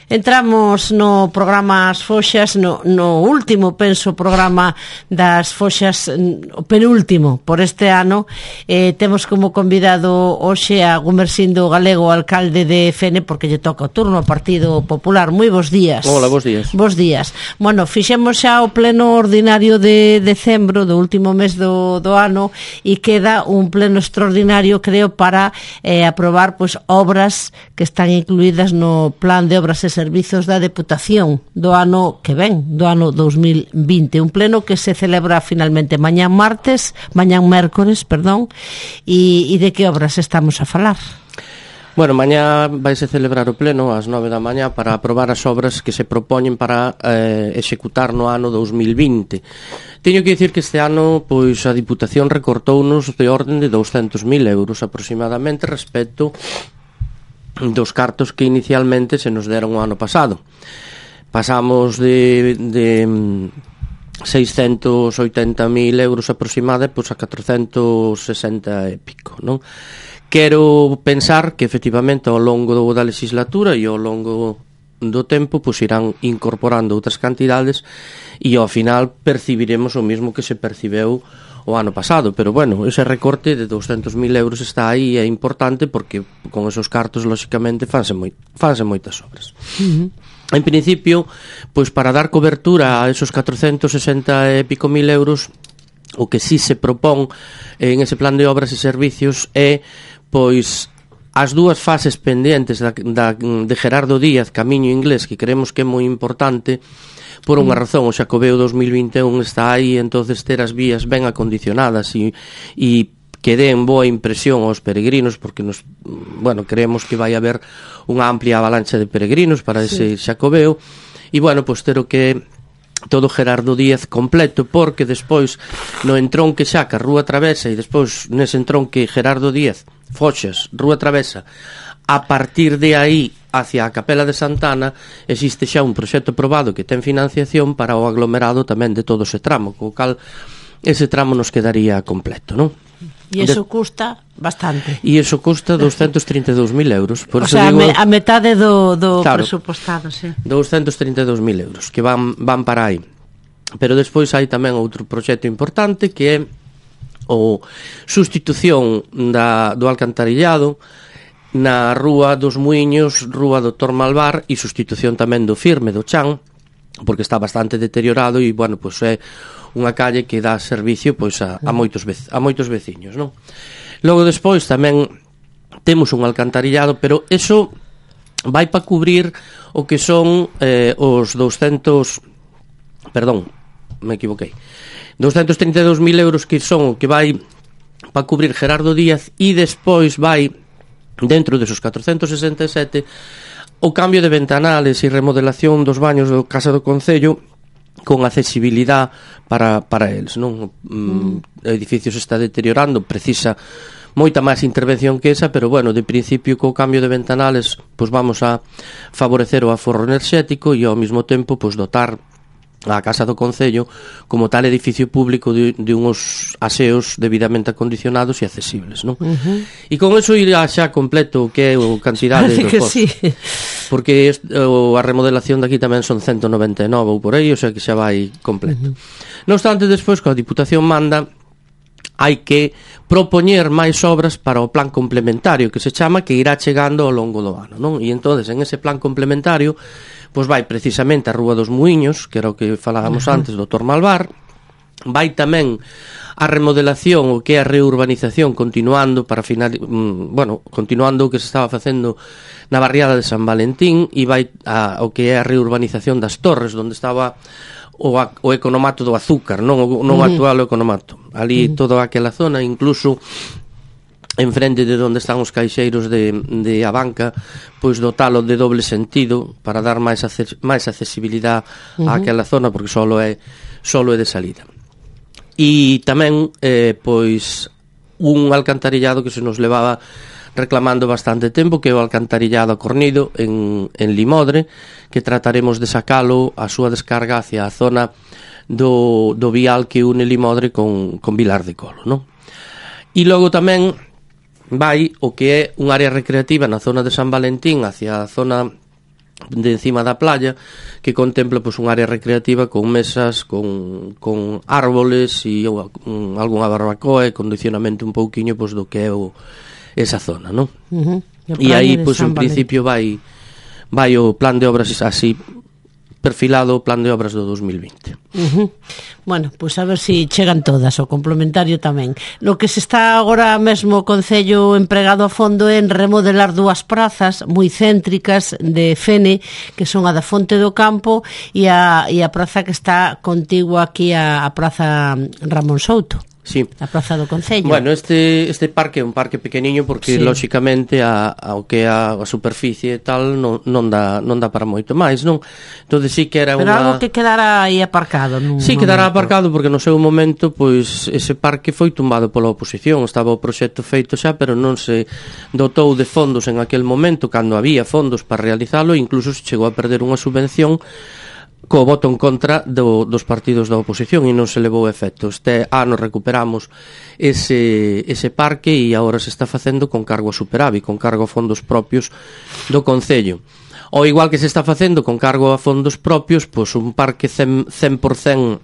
Entramos no programa As Foxas, no último, penso, programa das Foxas, o penúltimo por este ano. Temos como convidado hoxe a Gumersindo Galego, alcalde de Fene, porque lle toca o turno ao Partido Popular. Moi bons días. Hola, bons días. Bons días. Bueno, fixemos xa o pleno ordinario de decembro, do último mes do ano, e queda un pleno extraordinario, creo, para aprobar pois obras que están incluídas no plan de obras e servizos da Deputación do ano que ven, do ano 2020. Un pleno que se celebra finalmente mañán mércores, e de que obras estamos a falar? Bueno, mañá vaise celebrar o pleno ás 9 da mañá para aprobar as obras que se propoñen para executar no ano 2020. Teño que dicir que este ano pois a Diputación recortounos de orden de 200.000 euros aproximadamente respecto dos cartos que inicialmente se nos deron o ano pasado. Pasamos de 680.000 euros aproximada pois a 460 e pico, non? Quero pensar que efectivamente ao longo da legislatura e ao longo do tempo pois irán incorporando outras cantidades e ao final percibiremos o mesmo que se percibeu o ano pasado, pero bueno, ese recorte de 200.000 euros está aí e é importante porque con esos cartos lóxicamente fanse moitas obras. En principio, pois para dar cobertura a esos 460 e pico mil euros, o que sí se propón en ese plan de obras e servicios é pois as dúas fases pendentes de Gerardo Díaz, Camiño Inglés, que creemos que é moi importante por unha razón. O Xacobeo 2021 está aí, entonces ter as vías ben acondicionadas e que den boa impresión aos peregrinos, porque creemos que vai haber unha amplia avalancha de peregrinos para ese Xacobeo, e pois ter o que todo Gerardo Díaz completo, porque despois no entronque Xaca, Rúa Travesa, e despois nese entronque Gerardo Díaz, Foxas, Rúa Travesa, a partir de aí hacia a Capela de Santana existe xa un proxecto aprobado que ten financiación para o aglomerado tamén de todo ese tramo, co cal ese tramo nos quedaría completo, non? E iso custa bastante. E iso custa 232.000 euros. Por o sea, digo, a metade do presupostado, sí. 232.000 euros que van para aí. Pero despois hai tamén outro proxecto importante que é o sustitución do alcantarillado na Rúa dos Muiños, Rúa do Tormalvar, e sustitución tamén do Firme, do Chan, porque está bastante deteriorado e, pois é unha calle que dá servicio pois a moitos veciños, non? Logo despois tamén temos un alcantarillado, pero eso vai para cubrir o que son os 232.000 euros que son o que vai para cubrir Gerardo Díaz, e despois vai dentro desos 467 o cambio de ventanales e remodelación dos baños do Casa do Concello con accesibilidade para eles, non? O edificio se está deteriorando, precisa moita máis intervención que esa, pero de principio co cambio de ventanales pois vamos a favorecer o aforro enerxético e ao mesmo tempo pois dotar a Casa do Concello como tal edificio público de uns aseos debidamente acondicionados e accesibles, non? E con eso irá xa completo o que é o cantidade dos postos, sí. Porque a remodelación daqui tamén son 199 ou por aí, o sea que xa vai completo. Non obstante, despois, coa Diputación manda, hai que propoñer máis obras para o plan complementario que se chama, que irá chegando ao longo do ano, non? E entonces en ese plan complementario pois vai precisamente a Rúa dos Muiños, que era o que falábamos antes do Tormalvar, vai tamén a remodelación, o que é a reurbanización, continuando continuando o que se estaba facendo na barriada de San Valentín, e vai o que é a reurbanización das Torres, onde estaba o economato do azúcar, non o actual economato. Ali toda aquela zona, incluso en frente de onde están os caixeiros de Abanca, pois dotalo de doble sentido para dar máis accesibilidade a aquela zona, porque solo é de salida. E tamén pois un alcantarillado que se nos levaba reclamando bastante tempo, que é o alcantarillado a Cornido en Limodre, que trataremos de sacalo a súa descarga hacia a zona do vial que une Limodre con Vilar de Colo, non? E logo tamén vai o que é un área recreativa na zona de San Valentín hacia a zona de encima da playa, que contempla pois un área recreativa con mesas, con árboles e algunha barbacoa e condicionamento un pouquiño pois do que é esa zona, non? E aí pois en principio vai o plan de obras así perfilado, o plan de obras do 2020. Bueno, pois a ver se chegan todas, o complementario tamén. No que se está agora mesmo o Concello empregado a fondo en remodelar 2 prazas moi céntricas de Fene, que son a da Fonte do Campo e a praza que está contigua aquí a Praza Ramón Souto. Sí. A praza do Concello. Bueno, este parque é un parque pequeniño porque lóxicamente ao que a superficie e tal non dá para moito máis, non? Entonces sí que era Pero algo que quedara aí aparcado, non? Sí, quedará aparcado porque no seu momento pois ese parque foi tumbado pola oposición, estaba o proxecto feito xa, pero non se dotou de fondos en aquel momento cando había fondos para realizalo, incluso se chegou a perder unha subvención co voto en contra dos partidos da oposición e non se levou efecto. Este ano recuperamos ese parque e agora se está facendo con cargo a superávit, con cargo a fondos propios do Concello. Ao igual que se está facendo con cargo a fondos propios, pois un parque 100%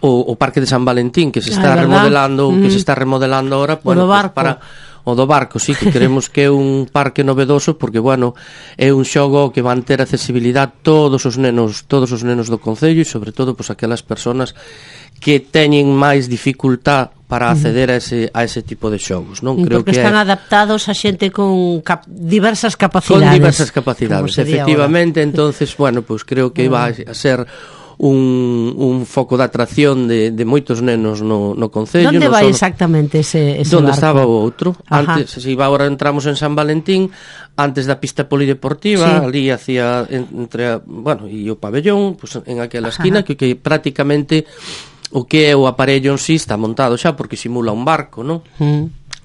o Parque de San Valentín que se está remodelando, que se está remodelando ahora, bueno, pues para o do barco, sí, que creemos que é un parque novedoso porque, bueno, é un xogo que van ter accesibilidade todos os nenos do Concello e sobre todo pois aquelas persoas que teñen máis dificultad para acceder a ese tipo de xogos, non? Creo porque que están adaptados a xente con diversas capacidades. Con diversas capacidades, efectivamente, entonces, bueno, pois creo que vai a ser un foco de atracción de moitos nenos no Concello. Onde vai exactamente ese barco? Onde estaba o outro. Ajá. Antes, se agora entramos en San Valentín, antes da pista polideportiva, ali hacia entre, bueno, e o pabellón, pues, en aquela esquina, que prácticamente o que é o aparello en sí está montado xa, porque simula un barco, non?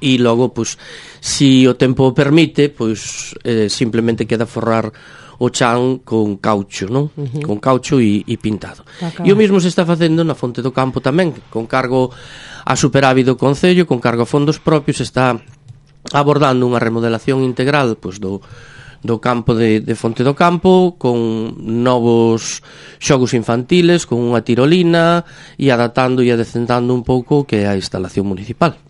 E logo, pues, si o tempo o permite, pues, simplemente queda forrar o chan con caucho, non? Con caucho e pintado. E o mesmo se está facendo na Fonte do Campo tamén, con cargo a superávit do Concello, con cargo a fondos propios, está abordando unha remodelación integral pois, do campo de Fonte do Campo, con novos xogos infantiles, con unha tirolina e adaptando e adecentando un pouco que é a instalación municipal.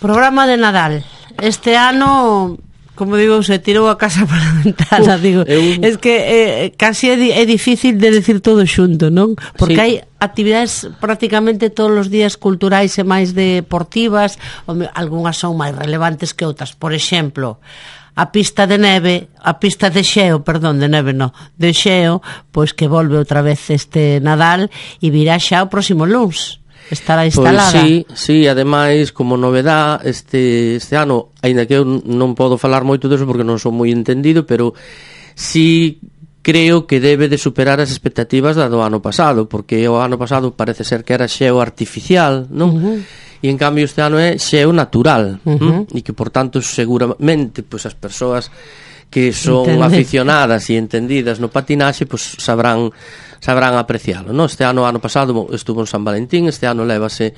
Programa de Nadal. Este ano, como digo, se tirou a casa para a ventana, digo. Es que casi é difícil de decir todo xunto, non? Porque hai actividades prácticamente todos os días culturais e máis deportivas, algunhas son máis relevantes que outras. Por exemplo, a pista de xeo, de xeo, pois que volve outra vez este Nadal e virá xa o próximo luns. Estará instalada. Pois sí, ademais, como novedad, este ano, aínda que eu non podo falar moito deso porque non son moi entendido, pero sí creo que debe de superar as expectativas do ano pasado, porque o ano pasado parece ser que era xeo artificial, non? E en cambio este ano é xeo natural, e que, por tanto, seguramente, pois as persoas que son aficionadas e entendidas no patinaxe, pois sabrán aprecialo, non? Este ano pasado estuvo en San Valentín, este ano lévase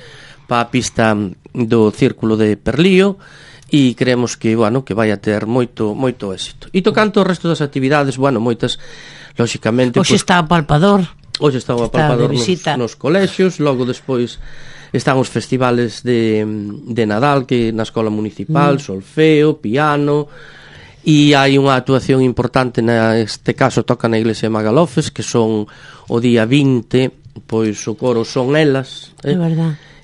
para a pista do Círculo de Perlío e creemos que, bueno, que vai a ter moito éxito. E tocante o resto das actividades, bueno, moitas, lóxicamente... Hoxe está o Palpador. Hoxe está o Palpador nos colexios, logo despois están os festivales de Nadal, que na Escola Municipal, solfeo, piano... E hai unha actuación importante, neste caso toca na Iglesia de Magalofes, que son o día 20, pois o coro Son Elas,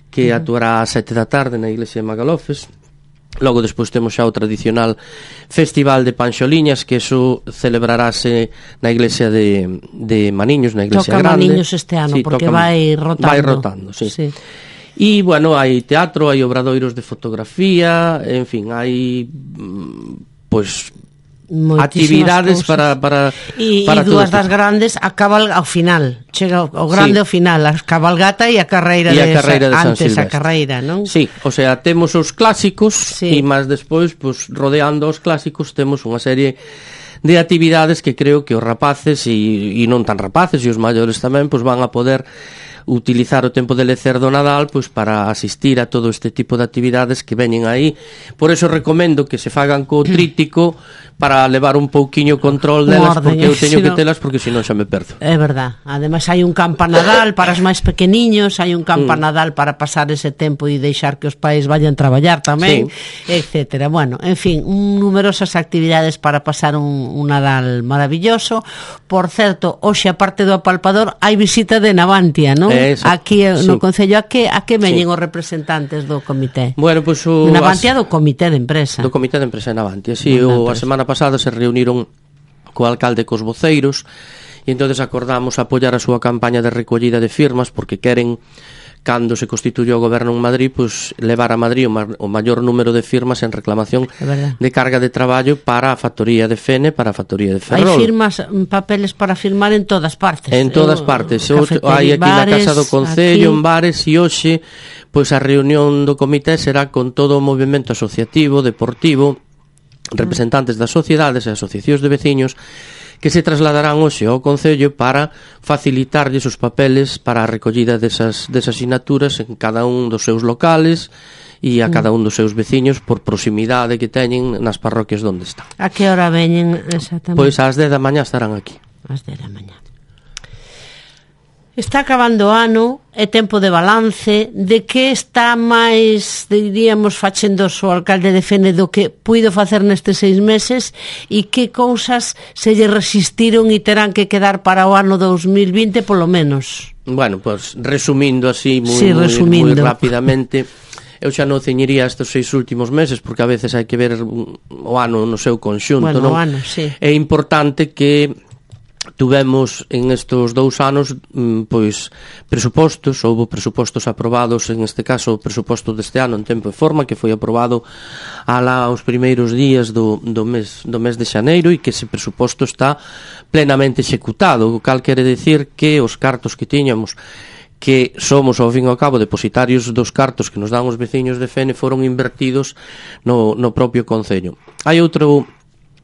que actuará a 7 da tarde na Iglesia de Magalofes. Logo despois temos xa o tradicional Festival de Panxoliñas, que eso celebrarase na Iglesia de Maniños, na Iglesia Grande. Toca Maniños este ano, porque vai rotando. Vai rotando, sí. E, bueno, hai teatro, hai obradoiros de fotografía, en fin, hai... pois actividades para e dúas das grandes ao final, chega o grande ao final, a cabalgata e a carreira de San Silvestre. A carreira, non? Sí, o sea, temos os clásicos e máis despois, pois rodeando os clásicos temos unha serie de actividades que creo que os rapaces e non tan rapaces e os maiores tamén pois van a poder utilizar o tempo de lecer do Nadal pois para asistir a todo este tipo de actividades que veñen aí. Por eso recomendo que se fagan co tríptico para levar un pouquiño control delas, porque eu teño que telas, porque senón xa me perdo. É verdad. Ademais hai un campanadal para os máis pequeniños, hai un campanadal para pasar ese tempo e deixar que os pais vayan traballar tamén, etcétera. Bueno, en fin, numerosas actividades para pasar un Nadal maravilloso. Por certo, hoxe a parte do apalpador hai visita de Navantia, non? Aquí no Concello, a que veñen os representantes do comité? Bueno, pois Navantia do comité de empresa. Do comité de empresa de Navantia, si, a semana pasada se reuniron co alcalde e cos voceiros e entonces acordamos apoiar a súa campaña de recollida de firmas porque queren, cando se constituyó o goberno en Madrid, pues levar a Madrid o maior número de firmas en reclamación de carga de traballo para a factoría de Fene, para a factoría de Ferrol. Hai firmas, papeles para firmar en todas partes. En todas partes. Hai aquí na Casa do Concello, en bares, e hoxe pois a reunión do comité será con todo o movimento asociativo, deportivo, representantes das sociedades e asociacións de veciños que se trasladarán hoxe ao Concello para facilitarlles os papeles para a recollida desas sinaturas en cada un dos seus locales e a cada un dos seus veciños por proximidade que teñen nas parroquias onde están. A que hora veñen exactamente? Pois ás 10 da mañá estarán aquí. Ás 10 da mañá. Está acabando o ano, é tempo de balance. De que está máis, diríamos, facendo o alcalde de Fene do que puido facer nestes 6 meses e que cousas se lle resistiron e terán que quedar para o ano 2020 polo menos? Bueno, pues resumindo así moi rapidamente, eu xa non ceñiría estes 6 últimos meses porque a veces hai que ver o ano no seu conxunto, bueno, non? O ano, sí. É importante que tuvemos en estes 2 anos pois presupostos, houve presupostos aprobados, en este caso o presuposto deste ano en tempo e forma, que foi aprobado alá os primeiros días do mes de xaneiro e que ese presuposto está plenamente executado, o cal quere decir que os cartos que tiñamos, que somos ao fin e ao cabo depositarios dos cartos que nos dan os veciños de Fene, foron invertidos no propio Concello. Hai outro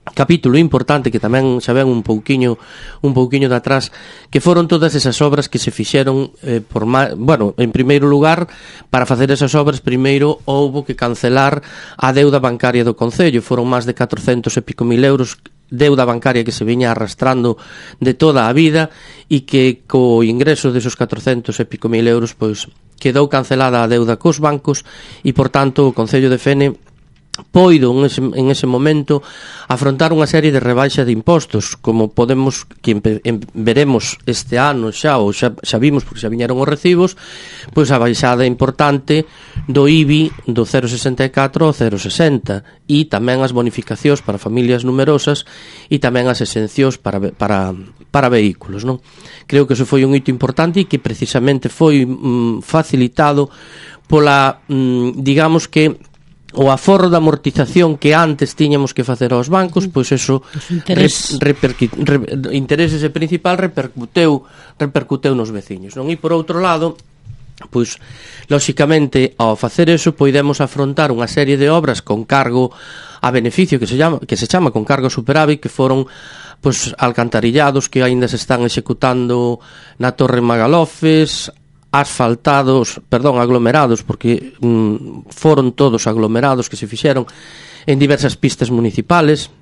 capítulo importante que tamén xa ven un pouquiño de atrás, que foron todas esas obras que se fixeron en primeiro lugar, para facer esas obras primeiro houbo que cancelar a deuda bancaria do Concello. Foron máis de 400 e pico mil euros deuda bancaria que se viña arrastrando de toda a vida e que co ingreso desos 400 e pico mil euros pois quedou cancelada a deuda cos bancos e por tanto o Concello de Fene poido en ese momento afrontar unha serie de rebaixa de impostos, como podemos que veremos este ano xa vimos porque xa viñeron os recibos, pois a baixada importante do IBI do 0,64 ao 0,60 e tamén as bonificacións para familias numerosas e tamén as exencións para vehículos, non? Creo que eso foi un hito importante e que precisamente foi facilitado pola, digamos que o aforro da amortización que antes tiñamos que facer aos bancos, pois eso intereses e principal repercuteu nos veciños, non? E por outro lado, pois lóxicamente ao facer eso poidemos afrontar unha serie de obras con cargo a beneficio que se chama con cargo superávit, que foron pois alcantarillados que aínda se están executando na Torre Magalofes, aglomerados, porque foron todos aglomerados que se fixeron en diversas pistas municipales,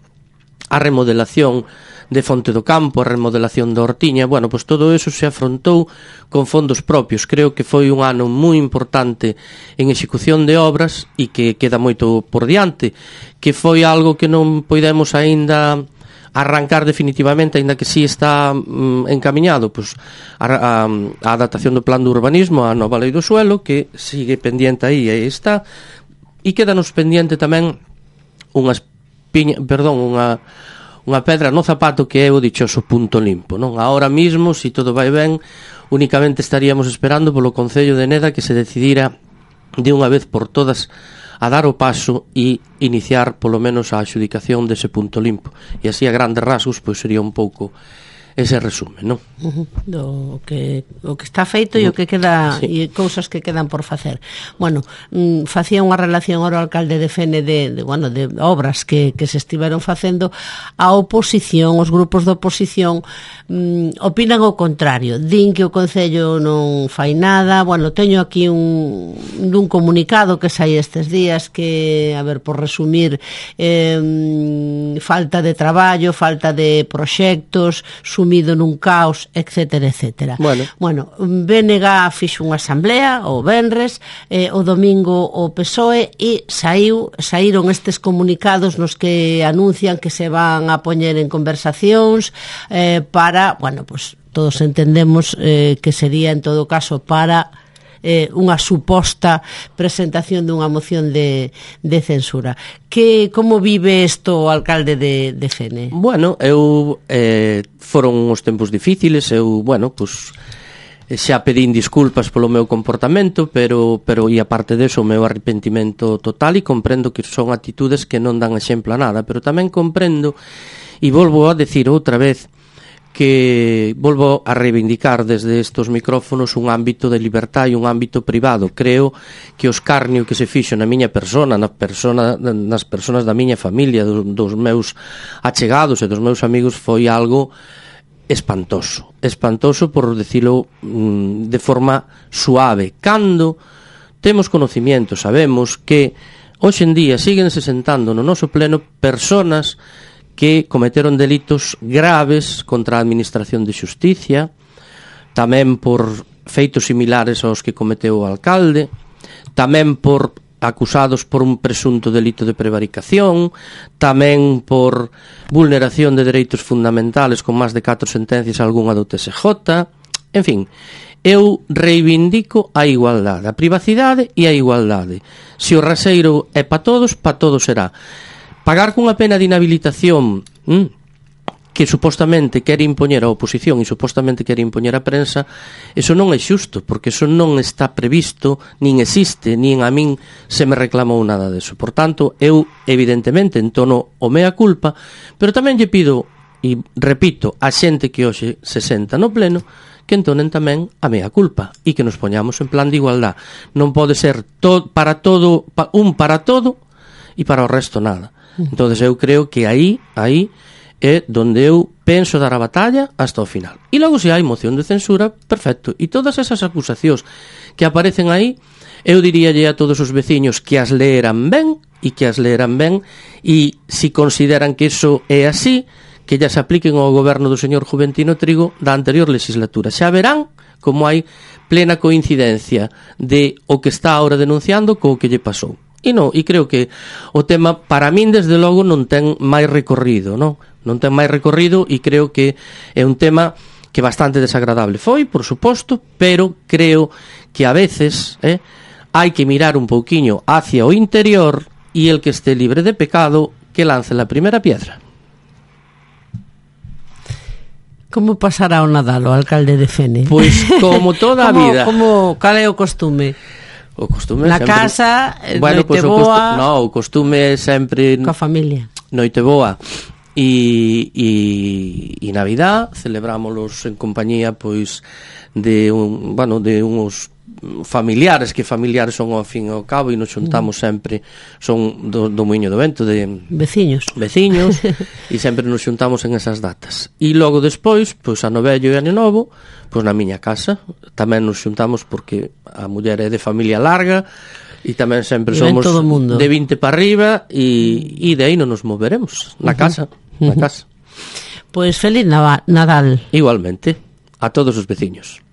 a remodelación de Fonte do Campo, a remodelación da Hortiña. Bueno, pois todo eso se afrontou con fondos propios. Creo que foi un ano moi importante en execución de obras e que queda moito por diante, que foi algo que non poidemos aínda arrancar definitivamente, aínda que sí está encamiñado, pois a adaptación do plan de urbanismo á nova lei do suelo, que sigue pendiente aí está, e quedanos pendiente tamén unha pedra no zapato, que é o dichoso punto limpo, non? Ahora mismo, se todo vai ben, únicamente estaríamos esperando polo Concello de Neda que se decidira de unha vez por todas a dar o paso e iniciar polo menos a adxudicación dese punto limpo, e así a grandes rasgos pois sería un pouco ese resumen, non? O que está feito e o que queda, e cousas que quedan por facer. Bueno, facía unha relación ao alcalde de Fene de obras que se estiveron facendo. A oposición, os grupos de oposición opinan o contrario, din que o Concello non fai nada. Bueno, teño aquí dun comunicado que sai estes días que, a ver, por resumir, falta de traballo, falta de proxectos, sumido nun caos, etcétera, etcétera. Bueno, BNG fixo unha asamblea o venres, o domingo o PSOE, e saíron estes comunicados nos que anuncian que se van a poñer en conversacións para, bueno, pues todos entendemos que sería en todo caso para unha suposta presentación dunha moción de censura. Como vive isto o alcalde de Fene? Bueno, foron uns tempos difíciles, xa pedín disculpas polo meu comportamento, pero e aparte deso o meu arrepentimento total, e comprendo que son actitudes que non dan exemplo a nada, pero tamén comprendo, e volvo a decir outra vez, que volvo a reivindicar desde estos micrófonos un ámbito de libertad e un ámbito privado. Creo que o escarnio que se fixo na miña persona, nas persoas da miña familia, dos meus achegados e dos meus amigos, foi algo espantoso por decirlo de forma suave. Cando temos conocimiento, sabemos que hoxe en día siguen se sentando no noso pleno persoas que cometeron delitos graves contra a administración de xusticia, tamén por feitos similares aos que cometeu o alcalde, tamén por acusados por un presunto delito de prevaricación, tamén por vulneración de dereitos fundamentales con máis de 4 sentencias, algunha do TSJ. En fin, eu reivindico a igualdade, a privacidade e a igualdade. Se o raseiro é para todos será. Pagar cunha pena de inhabilitación que supostamente quere impoñer a oposición e supostamente quere impoñer a prensa, eso non é xusto, porque eso non está previsto, nin existe, nin a min se me reclamou nada deso. Por tanto, eu evidentemente entono o mea culpa, pero tamén lle pido, e repito, a xente que hoxe se senta no pleno, que entonen tamén a mea culpa e que nos poñamos en plan de igualdad. Non pode ser para todo e para o resto nada. Entonces eu creo que aí é donde eu penso dar a batalla hasta o final. E logo, se hai moción de censura, perfecto. E todas esas acusacións que aparecen aí, eu diríalle a todos os veciños que as leeran ben, e se consideran que iso é así, que ya se apliquen ao goberno do señor Juventino Trigo da anterior legislatura. Xa verán como hai plena coincidencia de o que está ahora denunciando co que lle pasou. E creo que o tema, para min, desde logo, non ten máis recorrido, non ten máis recorrido, e creo que é un tema que bastante desagradable foi, por suposto, pero creo que a veces hai que mirar un pouquiño hacia o interior, e el que este libre de pecado que lance la primeira piedra. Como pasará o Nadal o alcalde de Fene? Pois como toda a vida. Cal é o costume? O costume na sempre... casa, bueno, noite boa... o costume é sempre... Coa familia. Noite boa. E Navidad celebrámolos en compañía, pois, de uns familiares, que familiares son ao fin e ao cabo, e nos xuntamos sempre, son do Muiño do Vento, de veciños e sempre nos xuntamos en esas datas. E logo despois, pois, ano vello e ano novo, pois na miña casa tamén nos xuntamos, porque a muller é de familia larga e tamén sempre somos de 20 para arriba, e de aí non nos moveremos na casa. Pois feliz Nadal. Igualmente a todos os veciños.